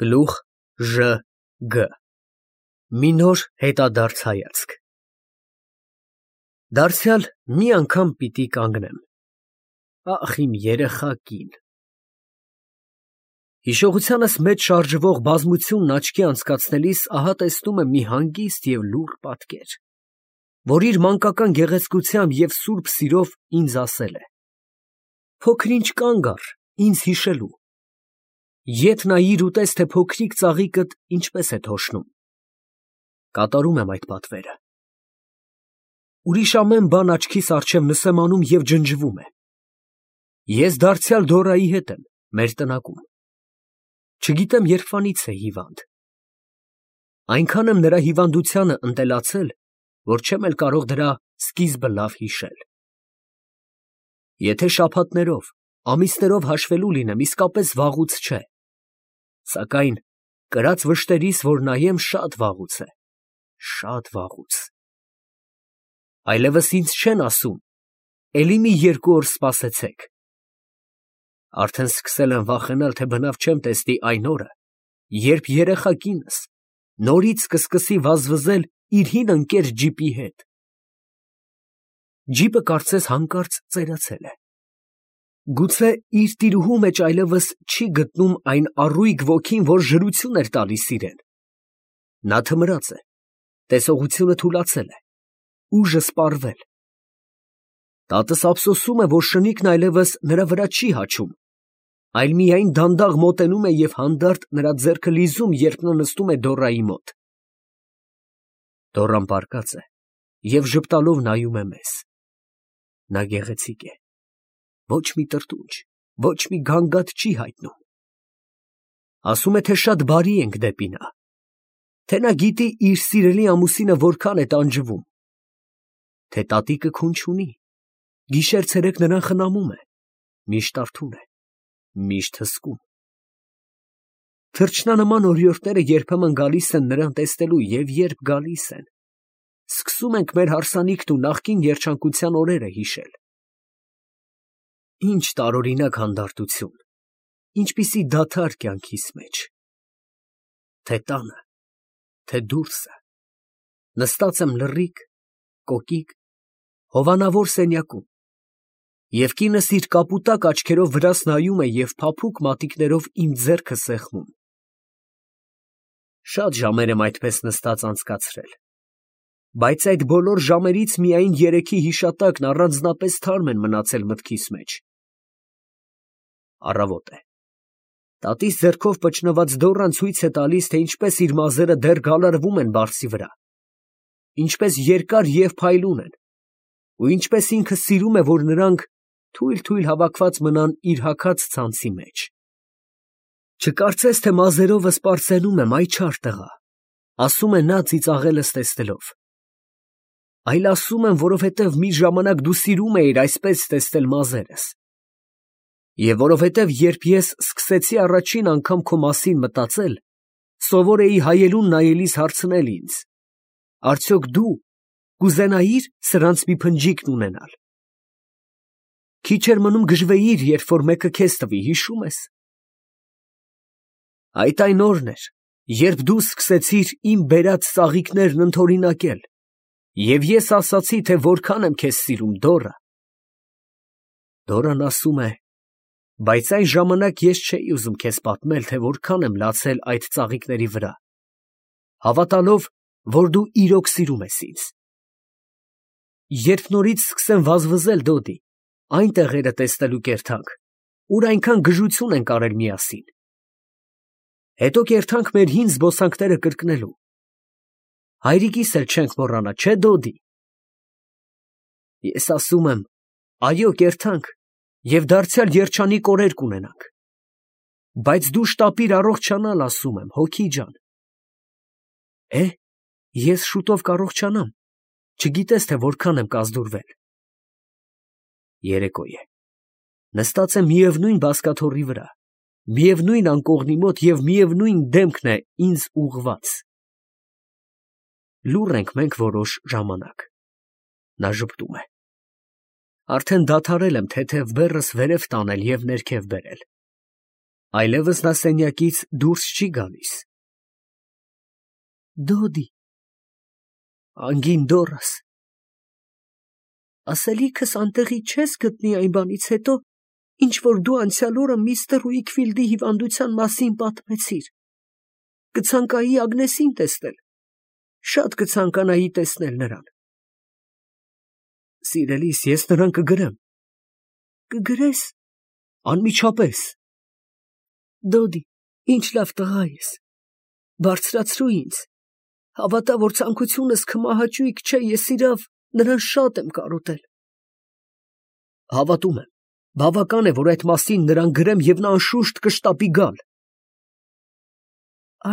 Գլուխ Ժ Գ Մի նոր հետադարձ հայացք։ Դարձյալ մի անգամ պիտի կանգնեմ։ Ախ իմ երեխա կին։ Հիշողությանս մեջ շարժվող բազմությունն աչքի անցկացնելիս ահա տեսնում եմ մի հանգիստ և լուռ պատկեր, որ իր մանկական գեղեցկությամբ և սուրբ սիրով ինձ ասել է. «Փոքր-ինչ կանգ առ, ինձ հիշելու, ետ նայիր ու տես, թե փոքրիկ ծաղիկդ ինչպես է թոշնում»։ Կատարում եմ այդ պատվերը։ Ուրիշ ամեն բան աչքիս առջև նսեմանում և ջնջվում է։ Ես դարձյալ Դորայի հետ եմ, մեր տնակում։ Չգիտեմ երբվանից է հիվանդ։ Այնքան եմ նրա հիվանդությանը ընտելացել, որ չեմ էլ կարող դրա սկիզբը լավ հիշել։ Եթե շաբաթներով, ամիսներով հաշվելու լինեմ, իսկապես վաղուց չէ, սակայն կրած վշտերիս, որ նայեմ, շատ վաղուց է, շատ վաղուց։ Այլևս ինձ չեն ասում. «Էլի մի 2 օր սպասեցեք»։ Արդեն սկսել եմ վախենալ, թե բնավ չեմ տեսնի այն օրը, երբ երեխա կինս նորից կսկսի վազվզել իր հին ընկեր ջիպի հետ։ Ջիպը կարծես հանկարծ ծերացել է։ Գուցե իր տիրուհու մեջ այլևս չի գտնում այն առույգ ոգին, որ ժրություն էր տալիս իրան։ Նա թմրած է, տեսողությունը թուլացել է, ուժը սպառվել։ Տատս ափսոսում է, որ շնիկն այլևս նրա վրա չի հաչում, այլ միայն դանդաղ մոտենում է և հանդարտ նրա ձեռքը լիզում, երբ նա նստում է Դորայի մոտ։ Դորան պառկած է և ժպտալով նայում է մեզ։ Նա գեղեցիկ է, ոչ մի տրտունջ, ոչ մի գանգատ չի հայտնում։ Ասում է, թե շատ բարի ենք դեպի նա, թե նա գիտի իր սիրելի ամուսինը որքան է տանջվում, թե տատիկը քուն չունի, գիշեր֊ցերեկ նրան խնամում է, միշտ արթուն է, միշտ հսկում։ Թռչնանման օրիորդները երբեմն գալիս են նրան տեսնելու և երբ գալիս են, սկսում ենք մեր հարսանիքն ու նախկին երջանկության օրերը հիշել։ Ինչ տարօրինակ հանդարտություն, ինչպիսի դադար կյանքիս մեջ։ Թե տանը, թե դուրսը, նստած եմ լռիկ, կոկիկ, հովանավոր սենյակում, և կինս իր կապուտակ աչքերով վրաս նայում է և փափուկ մատիկներով իմ ձեռքը սեղմում։ Շատ ժամեր եմ այդպես նստած անցկացրել, բայց այդ բոլոր ժամերից միայն երեքի հիշատակն առանձնապես թարմ են մնացել մտքիս մեջ։ Առավոտ է։ Տատիս ձեռքով պճնված Դոռան ցույց է տալիս, թե ինչպես իր մազերը դեռ գալարվում են բարձի վրա, ինչպես երկար և փայլուն են, ու ինչպես ինքը սիրում է, որ նրանք թույլ հավաքված մնան իր հագած ցանցի մեջ։ Չկարծես, թե մազերովս պարծենում եմ, այ չար տղա, ասում է նա ծիծաղելս տեսնելով, այլ ասում եմ, որովհետև մի ժամանակ դու սիրում էիր այսպես տեսնել մազերս, և որովհետև երբ ես սկսեցի առաջին անգամ քո մասին մտածել, սովոր էի հայելուն նայելիս հարցնել ինձ. արդյոք դու կուզենայի՞ր սրանց մի փնջիկն ունենալ։ Քիչ էր մնում գժվեիր, երբ որ մեկը քեզ տվի, հիշում ես։ Այդ այն օրն էր, երբ դու սկսեցիր իմ բերած ծաղիկներն ընդօրինակել, և ես ասացի, թե որքան եմ քեզ սիրում, Դոռա։ Դոռան ասում է. բայց այն ժամանակ ես չէի ուզում քեզ պատմել, թե որքան եմ լացել այդ ծաղիկների վրա, հավատալով, որ դու իրոք սիրում ես ինձ։ Երբ նորից սկսեմ վազվզել, Դոդի, այն տեղերը տեսնելու կերթանք, ուր այնքան գժություն ենք արել միասին, հետո կերթանք մեր հին զբոսանքները կրկնելու, հայրիկիս էլ չենք մոռանա, չէ՞ Դոդի։ Ես ասում եմ, այո, կերթանք և դարձյալ երջանիկ օրեր կունենանք, բայց դու շտապիր առողջանալ, ասում եմ, հոգի ջան։ Ես շուտով կառողջանամ, չգիտես, թե որքան եմ կազդուրվել։ Երեկո է, նստած եմ միևնույն բազկաթոռի վրա, միևնույն անկողնի մոտ և միևնույն դեմքն է ինձ ուղղված։ Լուռ ենք մենք որոշ ժամանակ։ Նա ժպտում է։ Արդեն դադարել եմ թեթև բեռս վերև տանել և ներքև բերել։ Այլևս նա սենյակից դուրս չի գալիս։ Դոդի, անգին դորս, ասելիքս անտեղի չես գտնի այն բանից հետո, ինչ որ դու անցյալ օրը միստր Ուիքֆիլդի հիվանդության մասին պատմեցիր։ Կցանկայի Ագնեսին տեսնել, շատ կցանկանայի տեսնել նրան։ Սիրելիս, ես նրան կգրեմ։ Կգրես։ Անմիջապես։ Դոդի, ինչ լավ տղա ես, բարձրացրու ինձ, հավատա, որ ցանկությունս քմահաճույք չէ, ես իրավ նրան շատ եմ կարոտել։ Հավատում եմ, բավական է, որ այդ մասին նրան գրեմ և նա անշուշտ կշտապի գալ։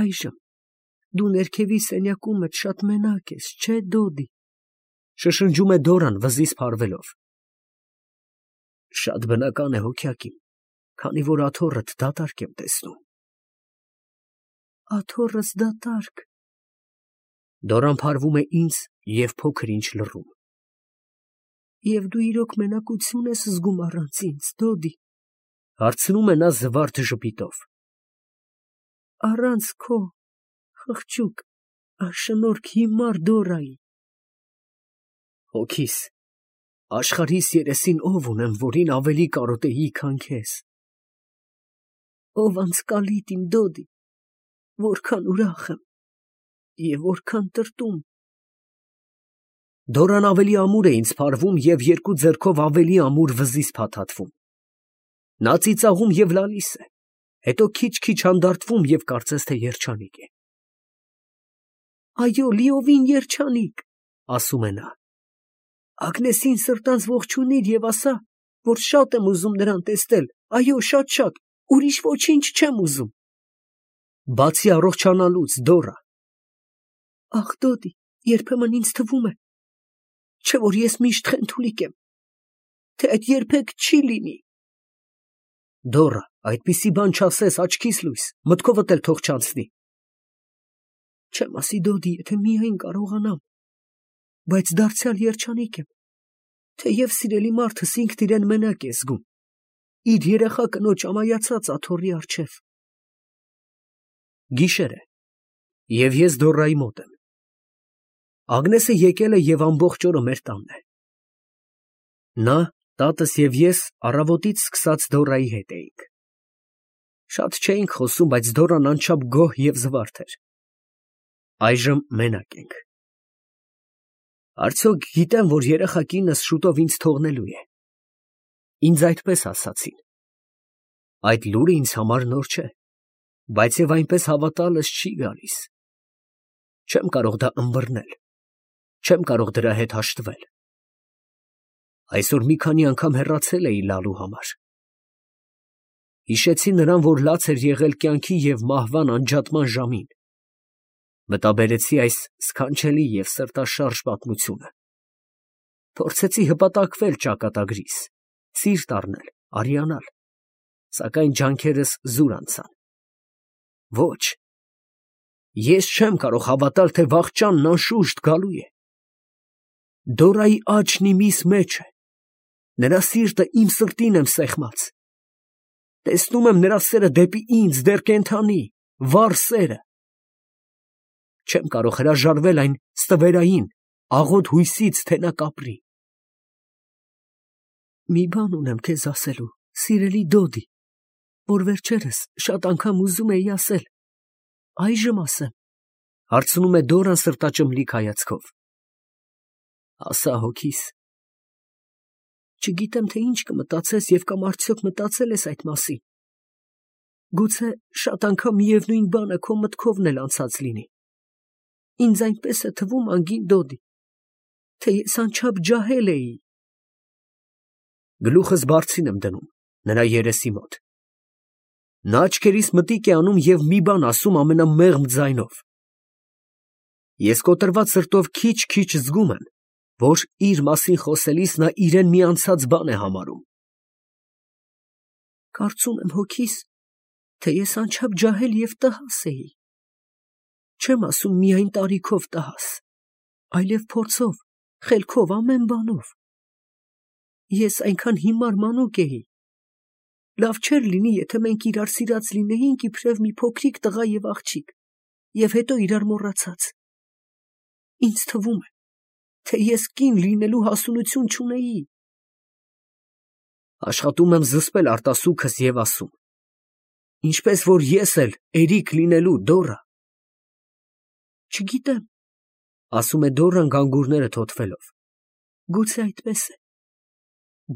Այժմ դու ներքևի սենյակումդ շատ մենակ ես, չէ Դոդի, շշնջում է Դորան վզից փարվելով։ Շատ բնական է հոգյակ իմ, քանի որ աթոռդ դատարկ եմ տեսնում։ Աթոռս դատարկ։ Դորան փարվում է ինձ և փոքր ինչ լռում։ Եվ դու իրոք մենակություն ես զգում առանց ինձ, Դոդի, հարցնում է նա զվարթ ժպիտով։ Առանց քո խղճուկ, անշնորհք հիմար Դորայի։ Հոգիս, աշխարհիս երեսին ով ունեմ, որին ավելի կարոտեի, քան քեզ։ Ով անձկալիտ իմ Դոդի, որքան ուրախ եմ և որքան տրտում։ Դորան ավելի ամուր է ինձ փարվում և երկու ձեռքով ավելի ամուր վզից փաթաթվում։ Նա ծիծաղում և լալիս է, հետո քիչ-քիչ հանդարտվում և կարծես թե երջանիկ է։ Այո, լիովին երջանիկ, ասում է նա։ Ագնեսին սրտանց ողջունիր և ասա, որ շատ եմ ուզում նրան տեսնել, այո, շատ, ուրիշ ոչինչ չեմ ուզում։ Բացի առողջանալուց, Դորա։ Ախ, Դոդի, երբեմն ինձ թվում է, չէ որ ես միշտ խենթուլիկ եմ, թե այդ երբեք չի լինի։ Դորա, այդպիսի բան չասես, աչքիս լույս, մտքովդ էլ թող չանցնի։ Չեմ ասի, Դոդի, եթե միայն կարողանամ, բայց դարձյալ երջանիկ եմ, թեև սիրելի մարդս ինքն իրեն մենակ է զգում, իր երեխա կնոջ ամայացած աթոռի առջև։ Գիշեր է, և ես Դորայի մոտ եմ։ Ագնեսը եկել է և ամբողջ օրը մեր տանն է։ Նա, տատս և ես առավոտից սկսած Դորայի հետ էինք։ Շատ չէինք խոսում, բայց Դորան անչափ գոհ և զվարթ էր։ Այժմ մենակ ենք։ Արդյոք գիտեմ, որ երեխա կինս շուտով ինձ թողնելու է։ Ինձ այդպես ասացին։ Այդ լուրը ինձ համար նոր չէ, բայց և այնպես հավատալս չի գալիս։ Չեմ կարող դա ըմբռնել, չեմ կարող դրա հետ հաշտվել։ Այսօր մի քանի անգամ հեռացել էի լալու համար։ Հիշեցի նրան, որ լաց էր եղել կյանքի և մահվան անջատման ժամին։ Մտաբերեցի այս սքանչելի և սրտաշարժ պատմությունը։ Փորձեցի հպատակվել ճակատագրիս, սիրտ առնել, արիանալ, սակայն ջանքերս զուր անցան։ Ոչ, ես չեմ կարող հավատալ, թե վախճանն անշուշտ գալու է։ Դորայի աչքն իմիս մեջ է, նրա սիրտը իմ սրտին եմ սեղմած։ Տեսնում եմ նրա սերը դեպի ինձ, դեռ կենդանի, վառ սերը։ Չեմ կարող հրաժարվել այն ստվերային, աղոտ հույսից, թե նա կապրի։ Մի բան ունեմ քեզ ասելու, սիրելի Դոդի, որ վերջերս շատ անգամ ուզում էի ասել, այժմ ասեմ, հարցնում է Դորան սրտաճմլիկ հայացքով։ Ասա հոգիս։ Չգիտեմ, թե ինչ կմտածես և կամ արդյոք մտածել ես այդ մասին։ Գուցե շատ անգամ միևնույն բանը քո մտքովն էլ անցած լինի։ Ինձ այնպես է թվում, անգին Դոդի, թե ես անչափ ջահել էի։ Գլուխս բարձին եմ դնում նրա երեսի մոտ։ Նա աչքերիս մտիկ է անում և մի բան ասում ամենամեղմ ձայնով։ Ես կոտրված սրտով քիչ-քիչ զգում եմ, որ իր մասին խոսելիս նա իրեն մի անցած բան է համարում։ Կարծում եմ հոգիս, թե ես անչափ ջահել և տհաս էի։ Չեմ ասում միայն տարիքով տհաս, այլև փորձով, խելքով, ամեն բանով։ Ես այնքան հիմար մանուկ էի, Լավ չէր լինի, եթե մենք իրար սիրած լինեինք իբրև մի փոքրիկ տղա և աղջիկ, և հետո իրար մոռացած։ Ինձ թվում է, թե ես կին լինելու հասունություն չունեի։ Աշխատում եմ զսպել արտասուքս և ասում. ինչպես որ ես էլ էրիկ լինելու, Դորա։ Չգիտեմ, ասում է Դորան գանգուրները թոթվելով, գուցե այդպես է,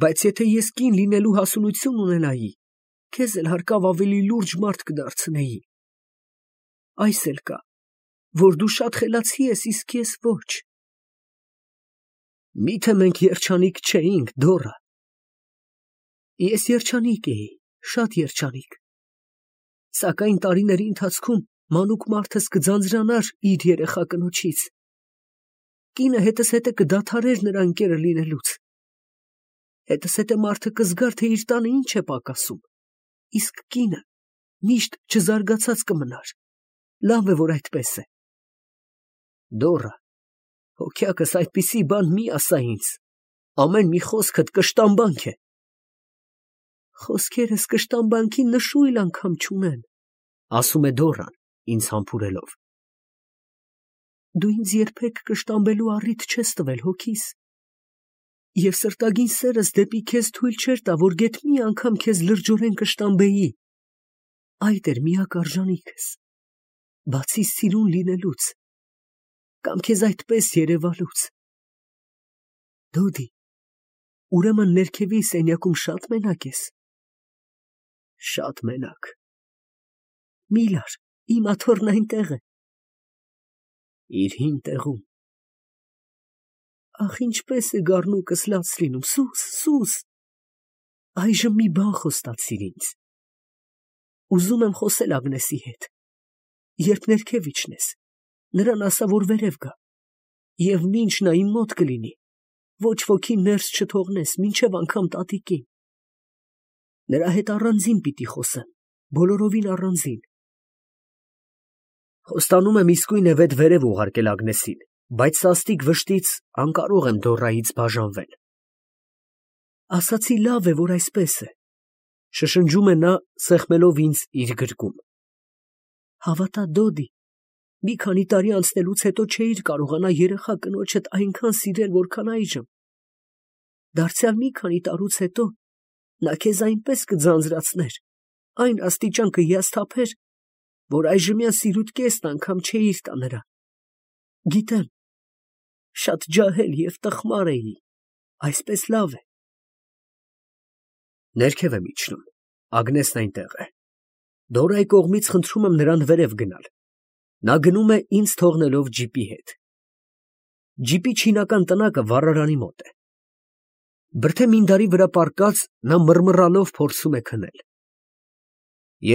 բայց եթե ես կին լինելու հասունություն ունենայի, քեզ էլ հարկավ ավելի լուրջ մարդ կդարձնեի։ Այս էլ կա, որ դու շատ խելացի ես, իսկ ես ոչ։ Միթե մենք երջանիկ չէինք, Դորա։ Ես երջանիկ էի, շատ երջանիկ, սակայն տարիների ընթացքում մանուկ մարդս կձանձրանար իր երեխա կնոջից։ Կինը հետս հետը կդադարեր նրա ընկերը լինելուց։ Հետս հետը մարդը կզգար, թե իր տանը ինչ է պակասում, իսկ կինը միշտ չզարգացած կմնար։ Լավ է, որ այդպես է։ Դորա, հոգյակս այդպիսի բան մի ասա ինձ, ամեն մի խոսքդ կշտամբանք է։ Խոսքերս կշտամբանքի նշույլ անգամ չունեն, ասում է Դորան, ինձ համբուրելով։ Դու ինձ երբեք կշտամբելու առիթ չես տվել, հոգիս, և սրտագին սերս դեպի քեզ թույլ չէր տա, որ գեթ մի անգամ քեզ լրջորեն կշտամբեի։ Այդ էր միակ արժանիքս, բացի սիրուն լինելուց, կամ քեզ այդպես երևալուց։ Դոդի, ուրեմն ներքևի սենյակում շատ մենակ ես։ Շատ մենակ։ Մի լար, իմ աթոռն այնտեղ է։ Իր հին տեղում։ Ախ, ինչպես է գառնուկս լաց լինում, սուս, սուս։ Այժմ մի բան խոստացիր ինձ։ Ուզում եմ խոսել Ագնեսի հետ։ Երբ ներքև իջնես, նրան ասա, որ վերև գա, և մինչ նա իմ մոտ կլինի, ոչ ոքի ներս չթողնես, մինչև անգամ տատիկին։ Նրա հետ առանձին պիտի խոսեմ, բոլորովին առանձին։ Խոստանում եմ իսկույն է վետ վերև ուղարկել Ագնեսին, բայց սաստիկ վշտից անկարող եմ Դորայից բաժանվել։ Ասացի լավ է, որ այսպես է, շշնջում է նա, սեղմելով ինձ իր գրկում։ Հավատա, Դոդի, մի քանի տարի անցնելուց հետո չէիր կարողանա երեխա կնոջդ այնքան սիրել, որքան այժմ։ Դարձյալ մի քանի տարուց հետո նա քեզ այնպես կձանձրացներ, այն աստիճան կհիասթափեր, որ այժմյան սիրուդ կեսն անգամ չէիր տա նրան։ Գիտեմ, շատ ջահել և տխմար էի, այսպես լավ է։ Ներքև եմ իջնում, Ագնեսն այնտեղ է։ Դորայի կողմից խնդրում եմ նրան վերև գնալ։ Նա գնում է ինձ թողնելով ջիպի հետ։ Ջիպի չինական տնակը վառարանի մոտ է։ Բրդե մինդարի վրա պառկած նա մռմռալով փորձում է քնել։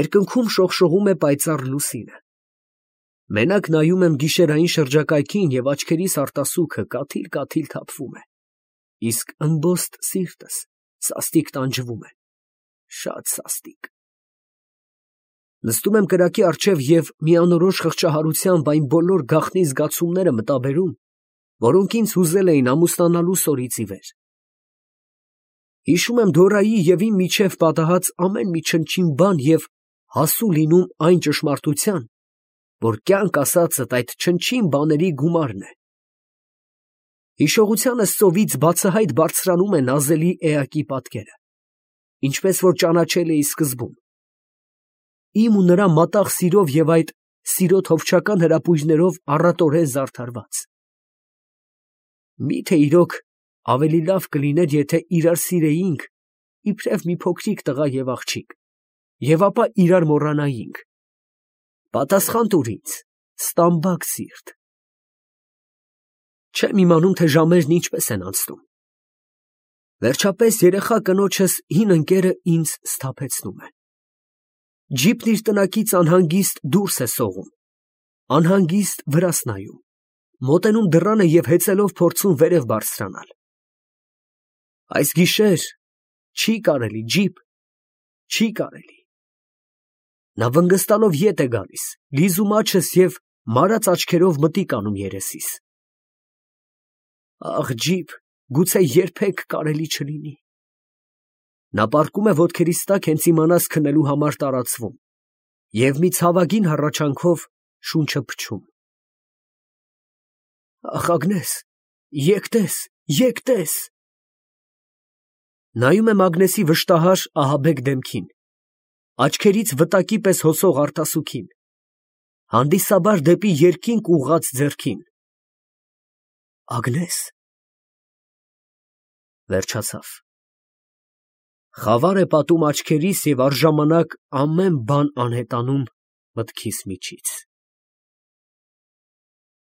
Երկնքում շողշողում է պայծառ լուսինը։ Մենակ նայում եմ գիշերային շրջակայքին և աչքերիս արտասուքը կաթիլ թափվում է, իսկ ըմբոստ սիրտս սաստիկ տանջվում է, շատ սաստիկ։ Նստում եմ կրակի առջև և մի անորոշ խղճահարությամբ այն բոլոր գաղտնի զգացումները մտաբերում, որոնք ինձ հուզել էին ամուսնանալուս օրից ի վեր։ Հիշում եմ Դորայի և իմ միջև պատահած ամեն մի չնչին բան և հասու լինում այն ճշմարտության, որ կյանք ասածդ այդ չնչին բաների գումարն է։ Հիշողությանս ծովից բացահայտ բարձրանում է նազելի էակի պատկերը, ինչպես որ ճանաչել էի սկզբում։ Իմ ու նրա մատաղ սիրով և այդ սիրո թովչական հրապույրներով առատորեն զարդարված։ Միթե իրոք ավելի լավ կլիներ, եթե իրար սիրեինք, իբրև մի փոքրիկ տղա և աղջիկ, և ապա իրար մոռանայինք։ Պատասխան տուր ինձ, ստամբակ սիրտ։ Չեմ իմանում, թե ժամերն ինչպես են անցնում։ Վերջապես երեխա կնոջս հին ընկերը ինձ սթափեցնում է։ Ջիպն իր տնակից անհանգիստ դուրս է սողում, անհանգիստ վրաս նայում, մոտենում դռանը և հեծելով փորձում վերև բարձրանալ։ Այս գիշեր չի կարելի, Ջիպ, չի կարելի։ Նա վնգստալով ետ է գալիս, լիզում աչքս և մարած աչքերով մտիկ անում երեսիս։ Ախ, Ջիպ, գուցե երբեք կարելի չլինի։ Նա պառկում է ոտքերիս տակ հենց իմանաս քնելու համար տարածվում և մի ցավագին հառաչանքով շունչը փչում։ Ախ, Ագնես, եկ տես, եկ տես։ Նայում եմ Ագնեսի վշտահար ահաբեկ դեմքին, աչքերից վտակի պես հոսող արտասուքին, հանդիսաբար դեպի երկինք ուղղած ձեռքին։ Ագնես… Վերջացավ։ Խավար է պատում աչքերիս և առժամանակ ամեն բան անհետանում մտքիս միջից։